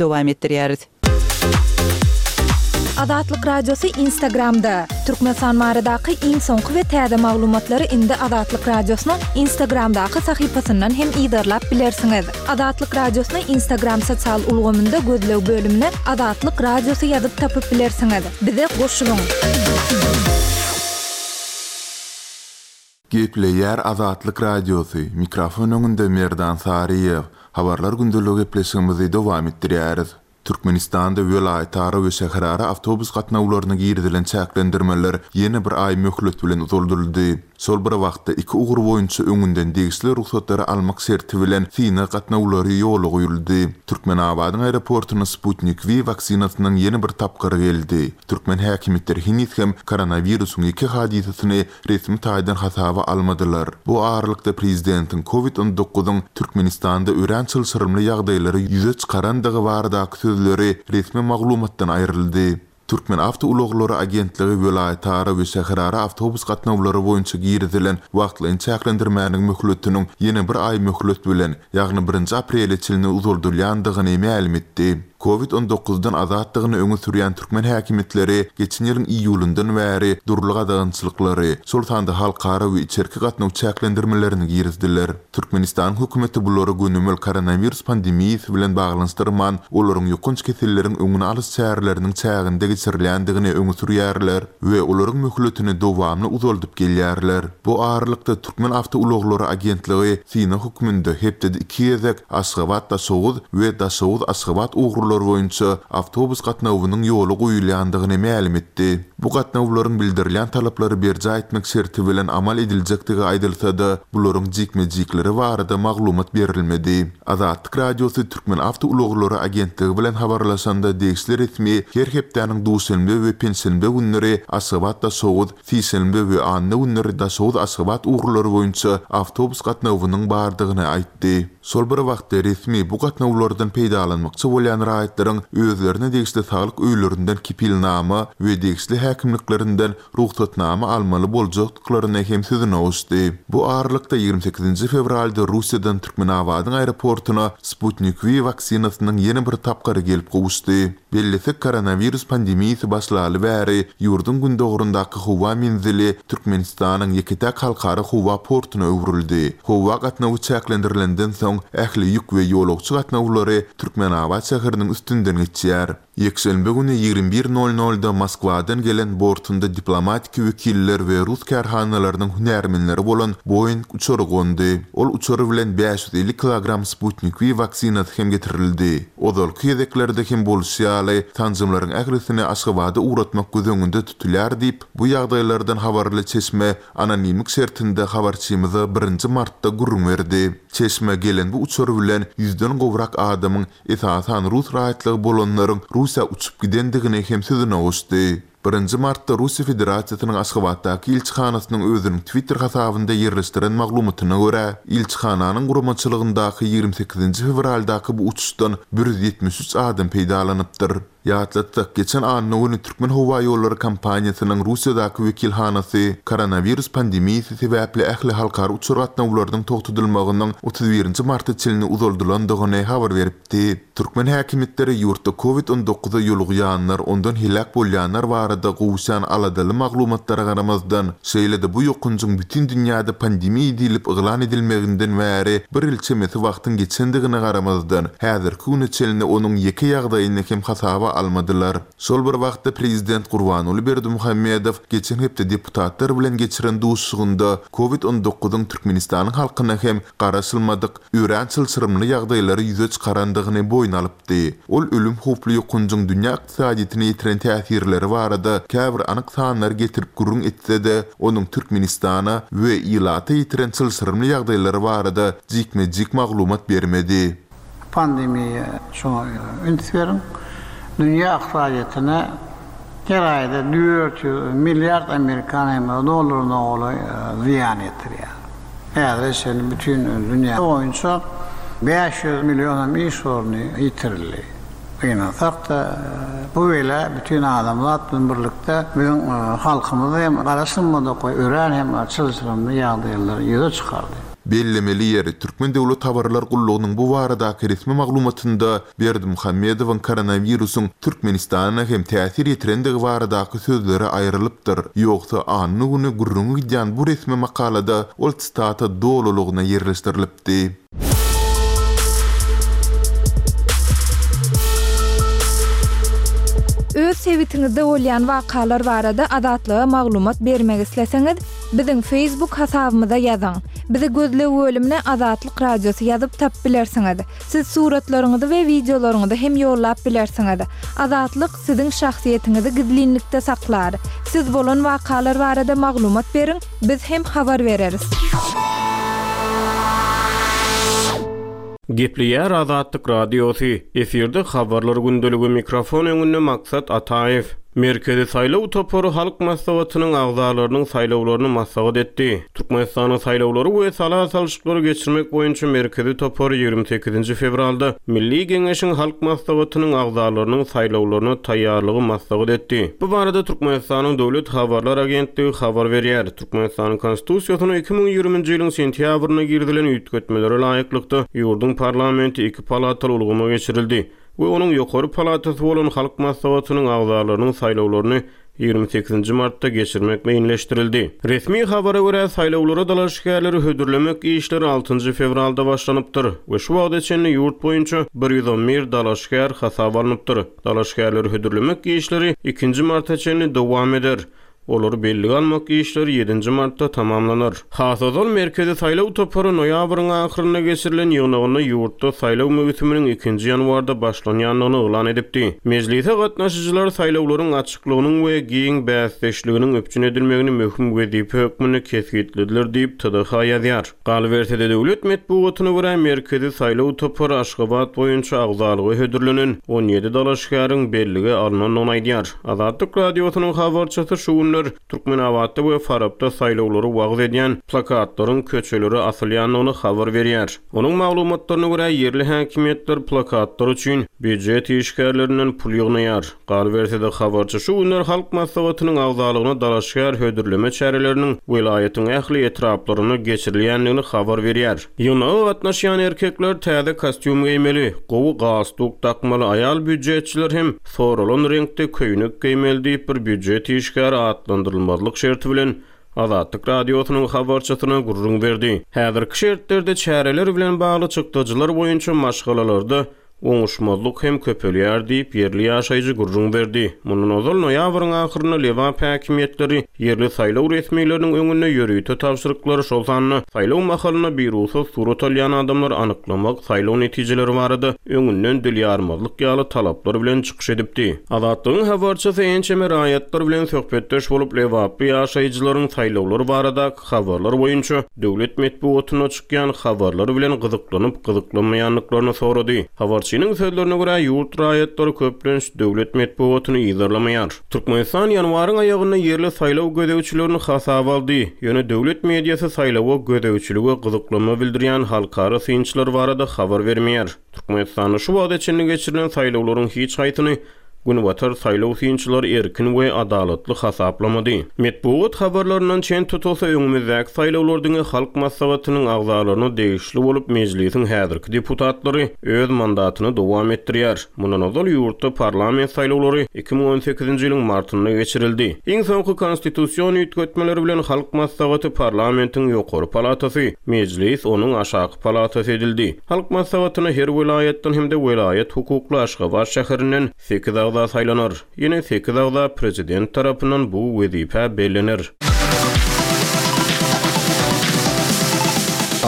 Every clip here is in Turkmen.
Dowam etdirýäris. Azatlyk Radiosy Instagramda! Türkmenistan baradaky iň soňky we täze maglumatlary indi Azatlyk Radiosynyň Instagramdaky sahypasyndan hem yzarlap bilersiňiz. Azatlyk Radiosyny Instagram sosial ulgamynda gözleg bölümine Azatlyk Radiosy ýazyp tapyp bilersiňiz. Bize goşulyň! Gepleýär Azatlyk Radiosy, mikrofon öňünde Merdan Saryýew. Habarlar gündeligi gepleşigimizi dowam etdirýäris. Türkmenistanda welaýatara we şäherara awtobus gatnawlaryna girizilen çäklendirmeler ýene bir aý möhlet bilen uzaldyldy. Şol bir wagtda, iki ugur boýunça öňünden degişli rugsatlary almak şerti bilen synag gatnawlary ýola goýuldy. Türkmenabadyň aeroportuna Sputnik V waksinasynyň ýene bir tapgyry geldi. Türkmen häkimiýetleri heniz hem koronawirusyň ýeke hadysasyny resmi taýdan hasaba almadylar. Bu aralykda prezidentiň Covid on dokuzyň Türkmenistanda örän çylşyrymly ýagdaýlary ýüze çykarandygy baradaky sözleri resmi maglumatdan aýryldy. Türkmenawtoulaglary agentligi welaýatara we şäherara awtobus gatnawlary boýunça girizilen wagtlaýyn çäklendirmäniň möhletiniň ýene bir aý möhlet bilen, ýagny birinji aprele çenli uzaldylýandygyny mälim etdi. Covid on dokuzdan azatdygyny öňe sürýän türkmen häkimiýetleri geçen ýylyň iýulyndan bäri dürli gadagançylyklary, şol sanda halkara we içerki gatnaw çäklendirmelerini girizdiler. Türkmenistanyň hökümeti bulary gönümel koronawirus pandemiýasy bilen baglanyşdyrman, olaryň ýokanç keselleriň öňüni alyş çäreleriniň çäginde geçirilýändigini öňe sürýärler we olaryň möhletini dowamly uzaldyp gelýärler. Bu aralykda, Türkmenawtoulaglary agentligi synag hökmünde hepdede iki gezek Aşgabat-Daşoguz we Daşoguz-Aşgabat ugurlary boýunça awtobus gatnawynyň ýola goýulýandygyny mälim etdi. Bu gatnawlaryň bildirilýän talaplary berjaý etmek şerti bilen amal ediljekdigi aýdylsa-da, bularyň jikme-jikleri barada maglumat berilmedi. Azatlyk Radiosy Türkmenawtoulaglary agentligi bilen habarlaşanda degişli resmi her hepdäniň duşenbe we penşenbe günleri Aşgabat-Daşoguz, Sişenbe we anna günleri Daşoguz-Aşgabat ugurlary boýunça awtobus gatnawynyň bardygyny aýtdy. Şol bir wagtda, resmi bu gatnawlardan peýdalanmakçy bolýan raýatlaryň özlerine degişli saglyk öýlerinden kepilnama we degişli häkimliklerinden rugsatnama almaly boljakdyklaryny hem sözüne goşdy. Bu aralykda, 28-nji fewralda Russiýadan Türkmenabadyň aeroportuna Sputnik V waksinasynyň ýene bir tapgyry gelip gowuşdy. Bellesek, koronawirus pandemiýasy başlaly bäri ýurduň gündogaryndaky howa menzili Türkmenistanyň ýeke-täk halkara howa portuna öwrüldi. Howa gatnawy çäklendirilenden soň, ähli ýük we ýolagçy gatnawlary Türkmenabat şäheriniň üstünden geçýär. Ýekşenbe güni 21 nol nolda Moskwadan gelen bortunda diplomatiki wekiller we rus kärhanalarynyň hünärmenleri bolan Boeing uçary gondy. Ol uçar bilen 550 kilogram Sputnik V waksinasy hem getirildi. Ozalky gezeklerde hem bolşy ýaly, sanjymlaryň ählisini Aşgabada ugratmak göz öňünde tutulýar diýip, bu ýagdaýlardan habarly çeşme anonimlik şertinde habarçymyza birinji martda gürrüň berdi. Çeşme gelen bu uçar bilen ýüzden gowrak adamyň, esasan rus raýatlygy bolanlaryň Russiýa uçup gidendigini hem sözüne goşdy. Birinji martda Russiýa Federasiýasynyň Aşgabatdaky ilçihanasynyň özüniň Twitter hasabynda ýerleşdiren maglumatyna görä, ilçihananyň guramaçylygyndaky 28-nji fewraldaky bu uçuşdan 173 adam peýdalanypdyr. Ýatlatsak, geçen anna güni Türkmenhowaýollary kompaniýasynyň Russiýadaky wekilhanasy koronawirus pandemiýasy sebäpli ähli halkara uçar gatnawlarynyň togtadylmagynyň 31-nji marta çenli uzaldylandygyny habar beripdi. Türkmen häkimiýetleri ýurtda Covid on dokuza ýolugýanlar, ondan heläk bolýanlar barada gowuşýan aladaly maglumatlara garamazdan, şeýle-de bu ýokanjyň bütin dünýäde pandemiýa diýlip yglan edilmeginden bäri bir ýyl çemesi wagtyň geçendigine garamazdan, häzirki güne çenli onuň ýeke ýagdaýyny hem hasaba almadylar. Şol bir wagtda prezident Gurbanguly Berdimuhamedow geçen hepde deputatlar bilen geçiren duşuşygynda Covid on dokuzyň Türkmenistanyň halkyna hem garaşylmadyk, örän çylşyrymly ýagdaýlary ýüze çykarandygyny boýun alypdy. Ol ölüm howply ýokanjyň dünýä ykdysadyýetine ýetiren täsirleri barada käbir anyk sanlary getirip gürrüň etse-de, onuň Türkmenistana we ilata ýetiren çylşyrymly ýagdaýlary barada jikme-jik maglumat bermedi. Pandemiýa şoňa üns beriň. Dünýä ykdysadyýetine her aýda 400 milliard amerikan dollaryna golaý zyýan ýetirýär. Häzire çenli bütin dünýä boýunça 500 million hem iş orny ýitirildi. Gynansak-da, bu bela bütin adamzat bilen birlikde biziň halkymyzy hem garaşylmadyk we örän hem çylşyrymly ýagdaýlary ýüze çykardy. Bellemeli ýeri, Türkmen döwlet habarlar gullugynyň bu baradaky resmi maglumatynda Berdimuhamedowyň koronawirusyň Türkmenistana hem täsir ýetirendigi baradaky sözleri aýrylypdyr. Ýogsa anna güni gürrüňi gidýän bu resmi makalada ol sitata dolulygyna ýerleşdirilipdi. Öz sebitiňizde bolýan wakalar barada Azatlyga maglumat bermek isleseňiz, biziň Facebook hasabymyza ýazyň. Bizi gözleg bölümine Azatlyk Radiosy ýazyp tapyp bilersiňiz. Siz suratlaryňyzy we wideolaryňyzy hem ýollap bilersiňiz. Azatlyk siziň şahsyýetiňizi gizlinlikde saklar. Siz bolan wakalar barada maglumat beriň, biz hem habar bereris. Gepleýär Azatlyk Radiosy, efirde Habarlar gündeligi, mikrofon öňünde Maksat Ataýew. Merkezi saýlaw topary Halk Maslahatynyň agzalarynyň saýlawlaryny maslahat etdi. Türkmenistanyň Saýlawlary we sala salşyklary geçirmek boýunça Merkezi topary 28-nji fewralda Milli Geňeşiň Halk Maslahatynyň agzalarynyň saýlawlaryna taýýarlygy maslahat etdi. Bu barada Türkmenistanyň Döwlet habarlar agentligi habar berýär. Türkmenistanyň Konstitusiýasyna 2020-nji ýylyň sentýabrynda girizilen üýtgetmelere laýyklykda, ýurduň parlamenti iki palataly ulgama geçirildi we onuň ýokary palatasy bolan Halk Maslahatynyň agzalarynyň saýlawlaryny 28-nji martda geçirmek meýilleşdirildi. Resmi habara görä, saýlawlara dalaşgärleri hödürlemek işleri altynjy fewralda başlanypdyr we şu wagta çenli ýurt boýunça 111 dalaşgär hasaba alnypdyr. Dalaşgärleri hödürlemek işleri ikinji marta çenli dowam eder. Olary bellige almak işleri ýedinji martda tamamlanar. Has ozal Merkezi saýlaw topary noýabryň ahyrynda geçirilen ýygnagynda ýurtda saýlaw möwsüminiň ikinji ýanwarda başlanýandygyny yglan edipdi. Mejlise gatnaşyjylar saýlawlaryň açyklygynyň we giň bäsdeşliginiň üpjün edilmegini möhüm wezipe hökmünde kesgitlediler diýip, TDH ýazýar. Galyberse-de, döwlet metbugatyna görä, Merkezi saýlaw topary Aşgabat boýunça agzalyga hödürlenen 17 dalaşgäriň bellige alnandygyny aýdýar. Azatlyk Radiosynyň habarçysy şu günler Türkmenabatda we Farapda saýlawlary wagyz edýän plakatlaryň köçelere asylýandygyny habar berýär. Onuň maglumatlaryna görä, ýerli häkimiýetler plakatlar üçin býujet işgärlerinden pul ýygnaýar. Galyberse-de, habarçy şu günler Halk Maslahatynyň agzalygyna dalaşgär hödürleme çäreleriniň welaýatyň ähli etraplarynda geçirilýändigini habar berýär. Ýygnaga gatnaşýan erkekler täze kostýum geýmeli, gowy galstuk dakmaly, aýal býujetçiler hem soralan reňkde köýnek geýmeli diýip, bir býujet işgäri atlandyrylmazlyk şerti bilen Azatlyk Radiosynyň habarçysyna gürrüň berdi. Häzirki şertlerde çäreler bilen bagly çykdajylar boýunça maşgalalarda Oňuşmazlyk hem köpelýär diýip, ýerli ýaşaýjy gürrüň berdi. Mundan ozal, noýabryň ahyrynda Lebap häkimiýetleri ýerli saýlaw resmileriniň öňünde ýörite tabşyryklary, şol sanda saýlaw mahalynda birugsat surat alýan adamlary anyklamak, saýlaw netijeleri barada öňünden dil ýarmazlyk ýaly talaplar bilen çykyş edipdi. Azatlygyň habarçysy ençeme raýatlar bilen söhbetdeş bolup, lebaply ýaşaýjylaryň saýlawlar baradaky habarlar boýunça döwlet metbugatynda çykýan habarlar bilen gyzyklanyp gyzyklanmaýandyklaryny sorady. Habarçynyň sözlerine görä, ýurt raýatlary köplenç döwlet metbugatyny yzarlamaýar. Türkmenistan ýanwaryň aýagynda ýerli saýlaw gözegçilerini hasaba aldy, ýöne döwlet mediasy saýlawa gözegçilige gyzyklanma bildirýän halkara synçylar barada habar bermeýär. Türkmenistanda şu wagta çenli geçirilen saýlawlaryň hiç haýsyny Günbatar saýlaw synçylary erkin we adalatly hasaplamady. Metbugat habarlaryndan çen tutulsa, öňümizdäki saýlawlar diňe Halk Maslahatynyň agzalaryna degişli bolup, Mejlisiň häzirki deputatlary öz mandatyny dowam etdirýär. Mundan ozal ýurtda parlament saýlawlary 2018-nji ýylyň martynda geçirildi. Iň soňky konstitusion üýtgetmeler bilen Halk Maslahaty parlamentiň ýokary palatasy, Mejlis onuň aşaky palatasy edildi. Halk Maslahatyna her welaýatdan hem-de welaýat hukukly Aşgabat şäherinden sekiz agza saýlanar. Ýene sekiz agza Prezident tarapyndan bu wezipä bellener.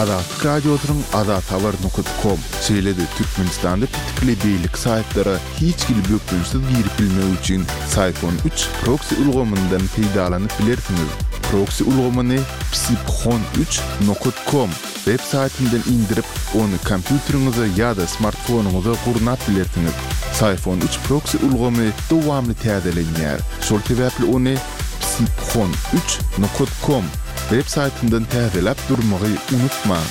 Azatlyk Radiosynyň Azathabar nokat kom, şeýle-de Türkmenistanda petikli beýleki saýtlara hiç hili bökdençsiz girip bilmek üçin Syphon üç proksi ulgamyndan peýdalanyp bilersiňiz. Proksi ulgamyny psiphon üç nokat kom Web saýtyndan indirip, ony kompýuteriňize ýa-da smartfonyňyza gurnap bilersiňiz. Syphon üç proksi ulgamy dowamly täzelenýär, şol sebäpli ony psiphon üç nokat kom web saýtyndan täzeläp durmagy unutmaň.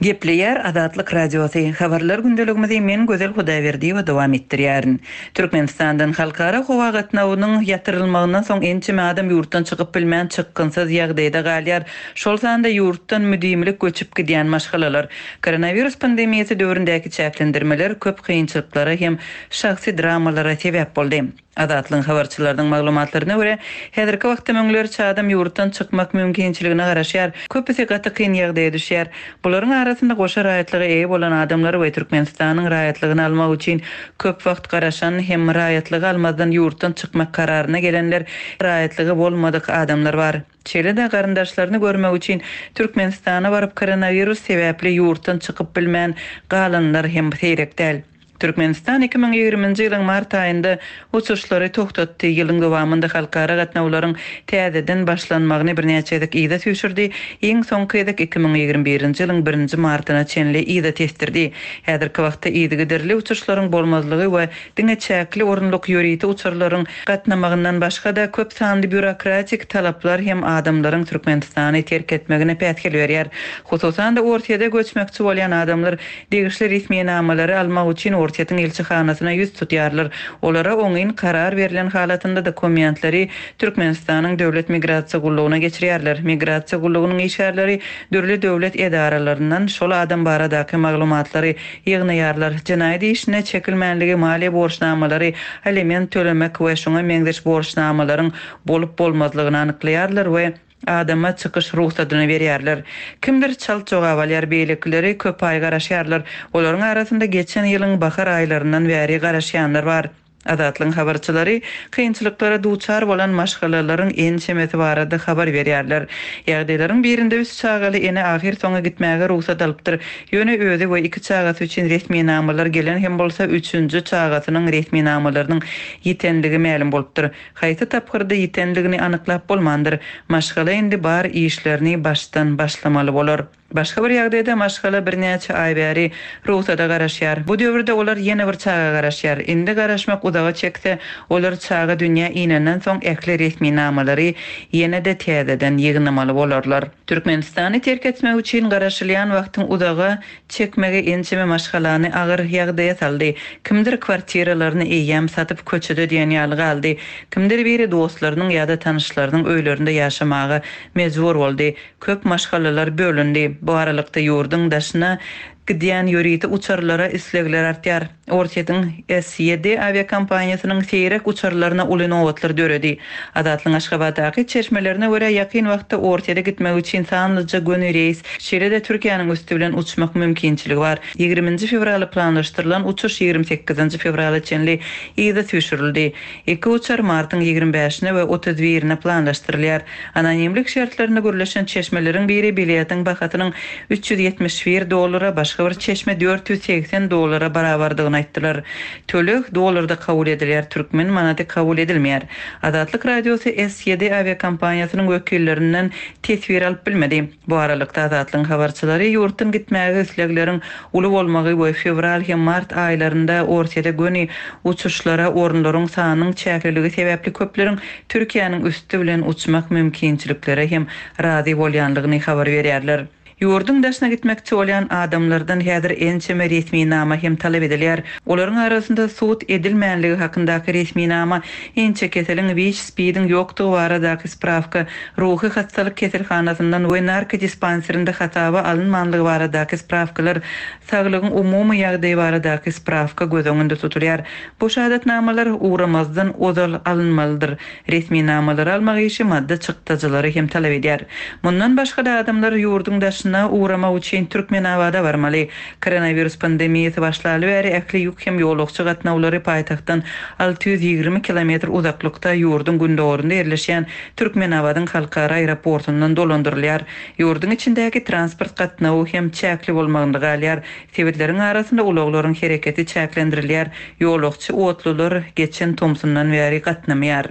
Gepleýär Azatlyk Radiosy, Habarlar gündeligimizi men Gözel Hudaýberdiýewa dowam etdirýärin. Türkmenistandan halkara howa gatnawynyň ýatyrylmagyndan soň ençeme adam ýurtdan çykyp bilmän çykgynsyz ýagdaýda galýar, şol sanda ýurtdan müdimilik göçüp gidýän maşgalalar. Koronawirus pandemiýasy döwründäki çäklendirmeler köp kynçylyklara hem şahsy dramalara sebäp boldy. Azatlygyň habarçylarynyň maglumatlaryna görä, häzirki wagtda müňlerçe adam ýurtdan çykmak mümkinçiligine garaşýar. Köpüsi gaty kyn ýagdaýa düşýär. Bularyň arasynda goşa raýatlyga eýe bolan adamlar we Türkmenistanyň raýatlygyny almak üçin köp wagt garaşan hem raýatlygy almazdan ýurtdan çykmak kararyna gelenler, raýatlygy bolmadyk adamlar bar. Şeýle-de garyndaşlaryny görmek üçin Türkmenistana baryp koronawirus sebäpli ýurtdan çykyp bilmän galanlar hem seýrek däl. Türkmenistan 2020-nji ýylyň mart aýynda uçuşlary togtatdy, ýylyň dowamynda halkara gatnawlaryň täzeden başlanmagyny birnäçe gezek yza süýşürdi, iň soňky gezek 2021-nji ýylyň birinji martyna çenli yza tesdirdi. Häzirki wagtda yzygiderli uçuşlaryň bolmazlygy we diňe çäkli orunlyk ýörite uçarlaryň gatnamagyndan başga-da, köp sanly býurokratik talaplar hem adamlaryň Türkmenistany terk etmegine päsgel berýär. Hususan-da, Orsýede göçmekçi bolýan adamlar Degişli resminamalary almak üçin Orsýetiň ilçihanasyna ýüz tutýarlar. Olara oňyn karar berlen halatynda dokumentleri Türkmenistanyň Döwlet migrasiýa gullugyna geçirýärler. Migrasiýa gullugynyň işgärleri dürli döwlet edaralaryndan şol adam baradaky maglumatlary ýygnaýarlar. Jenaýat işine çekilmänligi, maliýe borçnamalary, aliment tölemek we şuňa meňzeş borçnamalaryň bolup-bolmazlygyny anyklaýarlar we Adama çykyş rugsadyny berýärler. Kimdir çalt jogap alýar, beýlekileri köp aý garaşýarlar. Olaryň arasynda geçen ýylyň bahar aýlaryndan bäri garaşýanlar bar. Azatlygyň habarçylary kynçylyklara duçar bolan maşgalalaryň ençemesi barada habar berýärler. Ýagdaýlaryň birinde üç çagaly ene ahyrsoňy gitmäge rugsat alypdyr. Ýöne özi we iki çagasy üçin resminamalar gelen hem bolsa, üçünji çagasynyň resminamalarynyň ýitenligi mälim bolupdyr. Haýsy tapgyrda ýitenligini anyklap bolmandyr. Maşgala indi bar işlerini başdan başlamaly bolar. Başga bir ýagdaýda maşgala birnäçe aý bäri rugsada garaşýar. Bu döwürde olar ýene bir çaga garaşýar. Indi garaşmak uzaga çekse, olar çaga dünýä inenden soň ähli resminamalary ýene-de täzeden ýygnamaly bolarlar. Türkmenistany terk etmek üçin garaşylýan wagtyň uzaga çekmegi ençeme maşgalany agyr ýagdaýa saldy. Kimdir kwartiralaryny eýýäm satyp köçede diýen ýaly galdy. Kimdir biri dostlarynyň ýa-da tanyşlarynyň öýlerinde ýaşamaga mejbur boldy. Köp maşgalalar bölündi. Bu aralykda ýurduň daşyna gidýän ýörite uçarlara islegler artýar. Orsýetiň S-ýedi awiakompaniýasynyň seýrek uçarlaryna uly nobatlar döredi. Azatlygyň Aşgabatdaky çeşmelerine görä, ýakyn wagtda Orsýete gitmek üçin sanlyja göni reýs, şeýle-de Türkiýäniň üsti bilen uçmak mümkinçiligi bar. Ýigriminji fewrala planlaşdyrylan uçuş 28-nji fewrala çenli yza süýşürildi. Iki uçar martyň 25-ine we 31-ine planlaşdyrylýar. Anonimlik şertlerinde gürleşen çeşmeleriň biri biletiň bahasynyň 371 dollara, başga bir çeşme 480 dollara barabardygyny aýtdylar. Töleg dollarda kabul edilýär, türkmen manady kabul edilmeýär. Azatlyk Radiosy S-ýedi awiakompaniýasynyň wekillerinden teswir alyp bilmedi. Bu aralykda, Azatlygyň habarçylary ýurtdan gitmäge islegleriň uly bolmagy we fewral hem mart aýlarynda Orsýete göni uçuşlara orunlaryň sanynyň çäkliligi sebäpli köpleriň Türkiýäniň üsti bilen uçmak mümkinçiliklere hem razy bolýanlygyny habar berýärler. Ýurduň daşyna gitmekçi bolýan adamlardan häzir ençeme resminama hem talap edilýär. Olaryň arasynda sud edilmänligi hakyndaky resminama, inçekeseliň, WIÇ-SPID-iň ýokdugy baradaky sprawka, ruhy hassalyk keselhanasyndan we narkodispanserinde hasaba alynmanlygy baradaky sprawkalar, saglygyň umumy ýagdaýy baradaky sprawka göz öňünde tutulýar. Bu şahadatnamalar ugramazdan ozal alynmalydyr. Resminamalary almak işi maddy çykdajylary hem talap edýär. Mundan başga-da adamlar ýurduň daşyna ugramak üçin Türkmenabada barmaly. Koronawirus pandemiýasy başlaly bäri ähli ýük hem ýolagçy gatnawlary paýtagtdan 620 kilometr uzaklykda ýurduň gündogarynda ýerleşýän Türkmenabadyň halkara aeroportundan dolandyrylýar. Ýurduň içindäki transport gatnawy hem çäkli bolmagynda galýar. Sebitleriň arasynda ulaglaryň hereketi çäklendirilýär, ýolagçy otlular geçen tomsundan bäri gatnamaýar.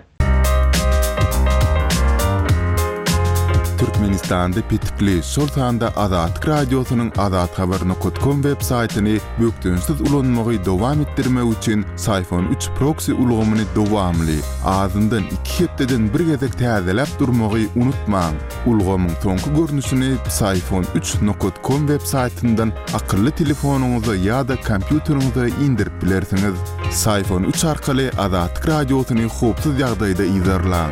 Türkmenistanda petikli, şol sanda Azatlyk Radiosynyň azathabar nokat kom web saýtyny bökdençsiz ulanmagy dowam etdirmek üçin Syfon üç proksi ulgamyny dowamly, azyndan iki hepdeden bir gezek täzeläp durmagy unutmaň. Ulgamyň soňky görnüşini Psiphon üç nokat kom web saýtyndan akylly telefonyňyza ýa-da kompýuteriňize indirip bilersiňiz. Psiphon üç arkaly Azatlyk Radiosyny howpsuz ýagdaýda yzarlaň.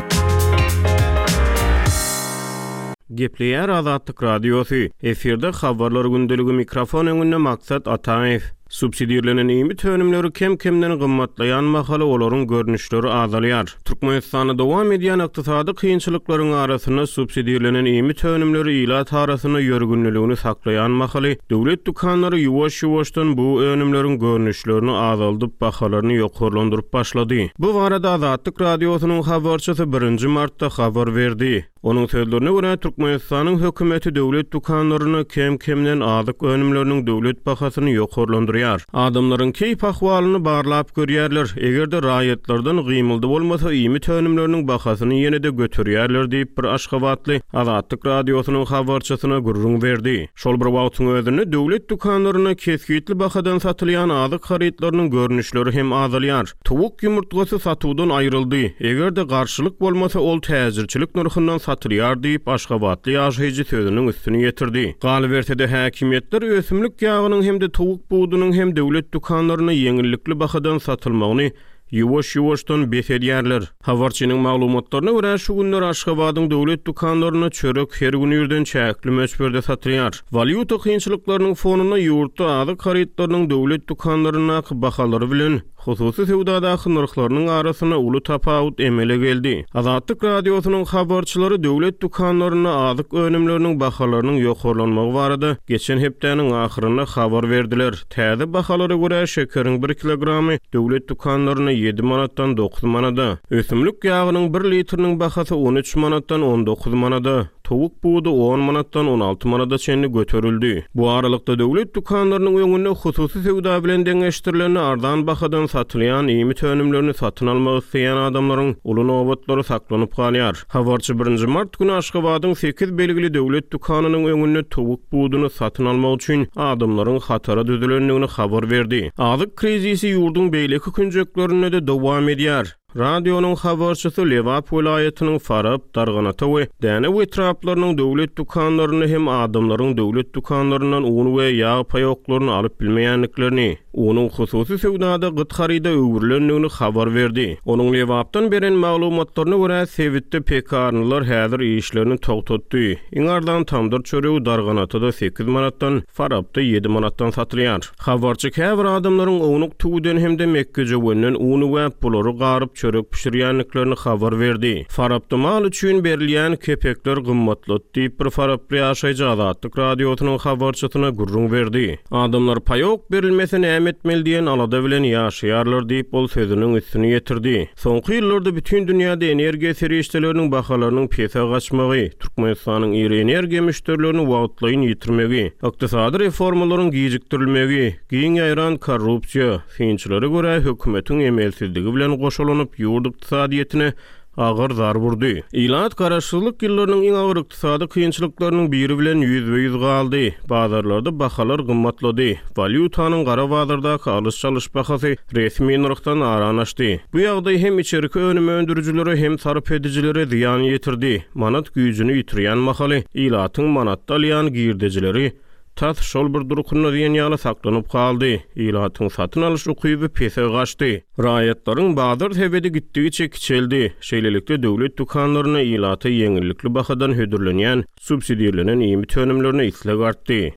Gepleýär Azatlyk Radiosy, Efirde Habarlar gündeligi mikrofon öňünde Maksat Ataýew. Subsidirlenen iýmit önümleri kem-kemden gymmatlaýan mahaly olaryň görnüşleri azalýar. Türkmenistanda dowam edýän ykdysady kynçylyklaryň arasynda subsidirlenen iýmit önümleri ilat arasynda ýörgünliligini saklaýan mahaly, döwlet dükanlary ýuwaş-ýuwaşdan bu önümleriň görnüşlerini azaldyp, bahalaryny ýokarlandyryp başlady. Bu barada Azatlyk Radiosynyň habarçysy birinji martda habar berdi. Onuň sözlerine görä, Türkmenistanyň hökümeti döwlet dükanlarynda kem-kemden azyk önümleriniň döwlet bahasyny ýokarlandyrýar. Adamlaryň keýp-ahwalyny barlap görýärler, eger-de raýatlardan gymyldy bolmasa, iýmit önümleriniň bahasyny ýene-de göterýärler diýip, bir aşgabatly Azatlyk Radiosynyň habarçysyna gürrüň berdi. Şol bir wagtyň özünde, döwlet dükanlarynda kesgitli bahadan satylýan azyk harytlarynyň görnüşleri hem azalýar. Towuk ýumurtgasy satuwdan aýryldy, eger-de garşylyk bolmasa, ol täjirçilik nyrhyndan satylýar diýip, aşgabatly ýaşaýjy sözüniň üstüni ýetirdi. Galyberse-de, häkimiýetler ösümlik ýagynyň hem-de towuk budunyň hem döwlet dükanlarynda ýeňillikli bahadan satylmagyny ýuwaş-ýuwaşdan bes edýärler. Habarçynyň maglumatlaryna görä, şu günler Aşgabadyň döwlet dükanlarynda çörek her gün irden çäkli möçberde satylýar. Walýuta kynçylyklarynyň fonunda ýurtda azyk harytlarynyň döwlet dükanlaryndaky bahalary bilen hususy söwdadaky nyrhlarynyň arasynda uly tapawut emele geldi. Azatlyk Radiosynyň habarçylary döwlet dükanlarynda azyk önümleriniň bahalarynyň ýokarlanmagy barada geçen hepdäniň ahyrynda habar berdiler. Täze bahalara görä, şekeriň bir kilogramy döwlet dükanlarynda ýedi manatdan dokuz manada, ösümlik ýagynyň bir litriniň bahasy on üç manatdan on dokuz manada, towuk budy on manatdan on alty manada çenli göterildi. Bu aralykda, döwlet dükanlarynyň öňünde hususy söwda bilen deňeşdirilende arzan bahadan satylýan iýmit önümlerini satyn almak isleýän adamlaryň uly nobatlary saklanyp galýar. Habarçy birinji mart güni Aşgabadyň sekiz belgili döwlet dükanynyň öňünde towuk buduny satyn almak üçin adamlaryň hatara düzülendigini habar berdi. Azyk krizisi ýurduň beýleki künjeklerinde-de dowam edýär. Radionyň habarçysy Lebap welaýatynyň Farap, Darganata we Dänew etraplarynyň döwlet dükanlarynda hem adamlaryň döwlet dükanlaryndan un we ýag paýoklaryny alyp bilmeýändiklerini, Unuň hususy söwdada gyt haryda öwrülendigini habar berdi. Onuň Lebapdan beren maglumatlaryna görä, sebitde pekarnylar häzir işlerini togtatdy. Iň arzan tamdyr çöregi Darganatada sekiz manatdan, Farapda ýedi manatdan satylýar. Habarçy käbir adamlaryň ownuk tüwüden hem-de mekgejöwenden un üwäp, bulary garyp çörek bişirýändiklerini habar berdi. Farapda mal üçin berilýän kepekler gymmatlady diýip, bir faraply ýaşaýjy Azatlyk Radiosynyň habarçysyna gürrüň berdi. Adamlar paýok berilmese näme etmeli diýen alada bilen ýaşaýarlar diýip, ol sözüniň üstüni ýetirdi. Soňky ýyllarda bütin dünýäde energiýa serişdeleriniň bahalarynyň pese gaçmagy, Türkmenistanyň iri energiýa müşderilerini wagtlaýyn ýitirmegi, ykdysady reformalaryň gijikdirilmegi, giň ýaýran korrupsiýa, synçylara görä, hökümetiň emelsizligi bilen goşalanyp, ýurt ykdysadyýetine agyr zarb urdy. Ilat garaşsyzlyk ýyllarynyň iň agyr ykdysady kynçylyklarynyň biri bilen ýüzbe-ýüz galdy. Bazarlarda bahalar gymmatlady. Walýutanyň gara bazardaky alyş-çalyş bahasy resmi nyrhdan arany açdy. Bu ýagdaý hem içerki önüm öndürijilere, hem sarp edijilere zyýan ýetirdi. Manat güýjüni ýitirýän mahaly ilatyň manatda alýan girdejileri tas şol bir durkunda diýen ýaly saklanyp galdy, ilatyň satyn alyş ukyby pese gaçdy. Raýatlaryň bazar sebedi gitdigiçe kiçeldi. Şeýlelikde, döwlet dükanlarynda ilata ýeňillikli bahadan hödürlenýän subsidirlenen iýmit önümlerine isleg artdy.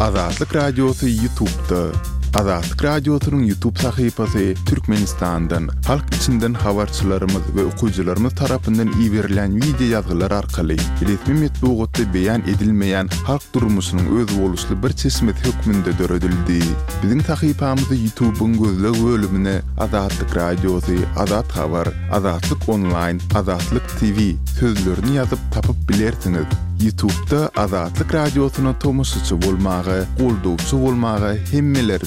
Azatlyk Radiosy Ýutubda. Azatlyk Radiosynyň Ýutub sahypasy Türkmenistandan, halk içinden habarçylarymyz we okyjylarymyz tarapyndan iberilýän wideo ýazgylar arkaly resmi metbugatda beýan edilmeýän halk durmuşynyň özboluşly bir çeşmesi hökmünde döredildi. Biziň sahypamyzy Ýutubyň gözleg bölümine Azatlyk Radiosy, Azat Habar, Azatlyk Onlaýn, Azatlyk TV sözlerini ýazyp tapyp bilersiňiz. Ýutubda Azatlyk Radiosyna tomaşaçy bolmaga, goldawçy bolmaga hemmeleri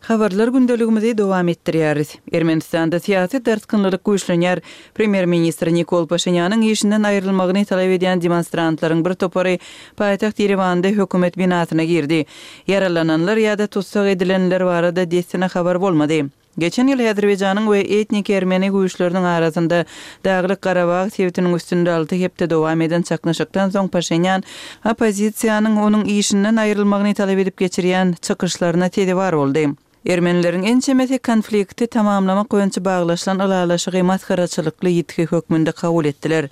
Habarlar gündeligimizi dowam etdirýäris. Ermenistanda syýasy dartgynlylyk güýçlenýär. Premýer-ministr Nikol Paşinýanyň işinden aýrylmagyny talap edýän demonstrantlaryň bir topary paýtagt Ýerewanda hökümet binasyna girdi. Ýaralananlar ýa-da tussag edilenler barada dessine habar bolmady. Geçen ýyl Häzirbegjanyň we etniki ermeni güýçleriniň arasynda Daglyk-Garabag sebitiniň üstünde alty hepde dowam eden çaknyşykdan soň Paşinýan oppozisiýanyň onuň işinden aýrylmagyny talap edip geçirýän çykyşlaryna sezewar boldy. Ermenileriň ençemesi konflikti tamamlamak boýunça baglaşylan ylalaşygy masgaraçylykly ýitgi hökmünde kabul etdiler.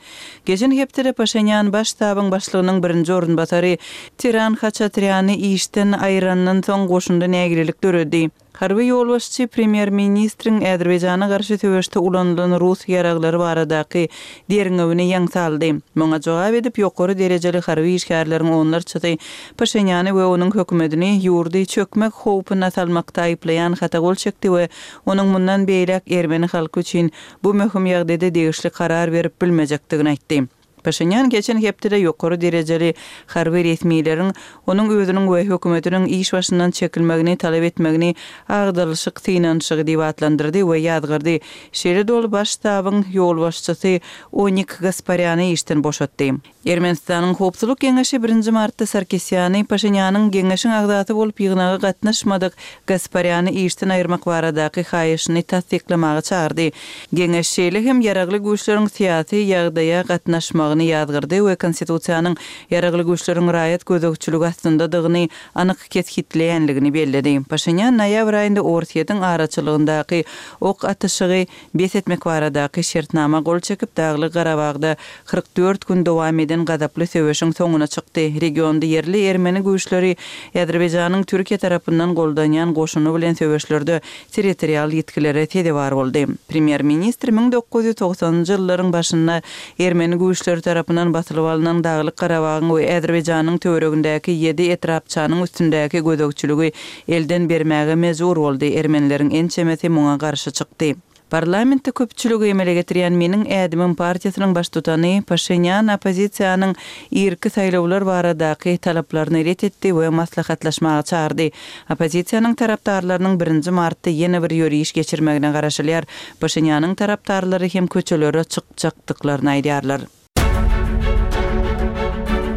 Geçen hepdede Paşinýan Baş ştabyň başlygynyň birinji orunbasary Tiran Haçatrýany işden aýyrandan soň goşunda nägilelik döredi. Harby ýolbaşçy premýer-ministriň Azerbaýjana garşy söweşde ulanylan rus ýaraglary baradaky derňewini ýaňsa aldy. Muňa jogap edip, ýokary derejeli harby işgärleriň onlarçasy Paşinýany we onuň hökümetini ýurdy çökmek howpuna salmakda aýyplaýan hata gol çekdi we onuň mundan beýläk ermeni halky üçin bu möhüm ýagdaýda degişli karar berip bilmejekdigini aýtdy. Paşinýan geçen hepdede ýokary derejeli harby resmileriň onuň özüniň we hökümetiniň iş başyndan çekilmegini talap etmegini agdarylyşyk synanyşygy diýip atlandyrdy we ýazgardy. Şeýle-de ol Baş ştabyň ýolbaşçysy Onik Gasparýany işden boşatdy. Ermenistanyň Howpsuzlyk geňeşi birinji martda Sarkisýany Paşinýanyň geňeşiň agzasy bolup ýygnaga gatnaşmadyk Gasparýany işden aýyrmak baradaky haýyşyny tassyklamaga çagyrdy. Geňeş şeýle hem Ýaragly Güýçleriň syýasy ýagdaýa gatnaşmagyny ýazgyrdy we Konstitusiýanyň Ýaragly Güýçleriň raýat gözegçiligi astyndadygyny anyk kesgitleýänligini belledi. Paşinýan noýabr aýynda Orsýetiň araçylygyndaky ok atyşygy bes etmek baradaky şertnama gol çekip, Daglyk Garabagda 44 gün dowam eden gazaply söweşiň soňuna çykdy. Regionda ýerli ermeni güýçleri Azerbaýjanyň Türkiýe tarapyndan goldanýan goşuny bilen söweşlerde territorial ýitgilere sezewar boldy. Premýer-ministr 1990-njy ýyllaryň başynda ermeni güýçleri tarapyndan basylyp alnan Daglyk Garabagyň we Azerbaýjanyň töweregindäki ýedi etrapçanyň üstündäki gözegçiligi elden bermäge mejbur boldy, ermenileriň ençemesi muňa garşy çykdy. Parlamentde köpçüligi emele getirýän Meniň ädimim partiýasynyň baştutany Paşinýan oppozisiýanyň irki saýlawlar baradaky talaplaryny ret etdi we maslahatlaşmaga çagyrdy. Oppozisiýanyň tarapdarlarynyň birinji martda ýene bir ýöriş geçirmegine garaşylýar. Paşinýanyň tarapdarlary hem köçelere çykjakdyklaryny aýdýarlar.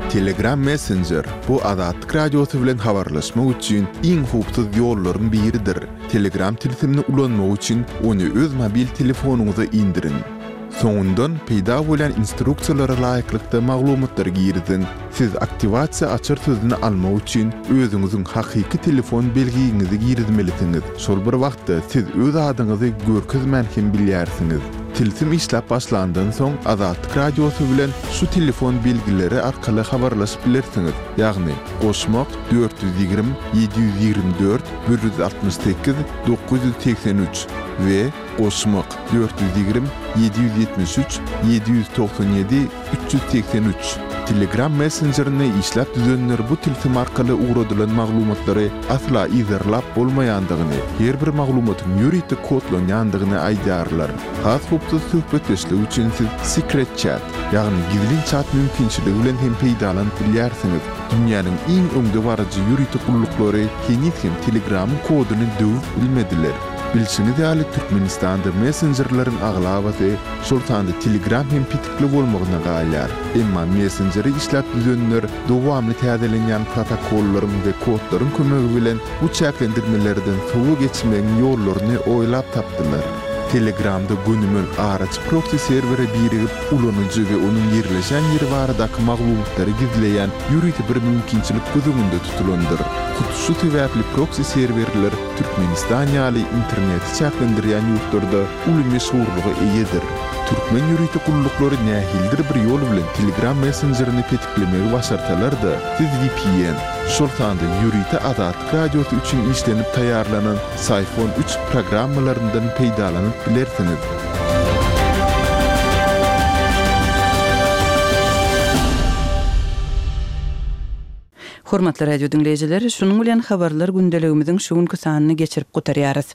Telegram Messenger, bu Azatlyk Radiosy bilen habarlaşmak üçin iň howpsuz ýollaryň biridir. Telegram tilsimini ulanmak üçin ony öz mobil telefonyňyza indiriň. Soňundan peýda bolýan instruksiýalara laýyklykda maglumatlary giriziň. Siz aktiwasiýa açar sözüni almak üçin özüňiziň hakyky telefon belgiňizi girizmelisiňiz. Şol bir wagtda siz öz adyňyzy görkezmän hem bilýärsiňiz. Tilsim işläp başlandan soň Azatlyk Radiosy bilen şu telefon belgileri arkaly habarlaşyp bilersiňiz, ýagny, goşmak, 420 724 168 983 we goşmak, 420 773 797 383. Telegram messenjerini işläp düzenler bu tilsim arkaly ugradylan maglumatlary asla yzarlap bolmaýandygyny, her bir maglumatyň ýörite kodlanýandygyny aýdýarlar. Has howpsuz söhbetdeşlik üçin siz Secret Chat, ýagny gizlin çat mümkinçiligi bilen hem peýdalanyp bilýärsiňiz. Dünýäniň iň öňdebaryjy ýörite gulluklary heniz hem Telegramyň koduny döwüp bilmediler. Bilşiňiz ýaly, Türkmenistanda messenjerleriň aglabasy, şol sanda Telegram hem petikli bolmagyna galýar. Emma messenjeri işläp düzenler dowamly täzelenýän protokollaryň we kodlaryň kömegi bilen bu çäklendirmelerden sowa geçmegiň ýollaryny oýlap tapdylar. Telegramda gönümel araçy proksi serwere birigip, ulanyjy we onuň ýerleşen ýeri baradaky maglumatlary gizleýän ýörite bir mümkinçilik göz öňünde tutulandyr. Hut şu sebäpli proksi serwerler Türkmenistan ýaly interneti çäklendirýän ýurtlarda uly meşhurlyga eýedir. Türkmen ýörite gulluklary nähilidir bir ýol bilen Telegram messenjerini petiklemegi başarsalar-da, siz vpn, şol sanda ýörite Azatlyk Radiosy üçin işlenip taýýarlanan Syphon üç programmalaryndan peýdalanyp bilersiňiz. Hormatly radio diňleýjiler, şunuň bilen Habarlar gündeligimiziň şu günki sanyny geçirip gutarýarys.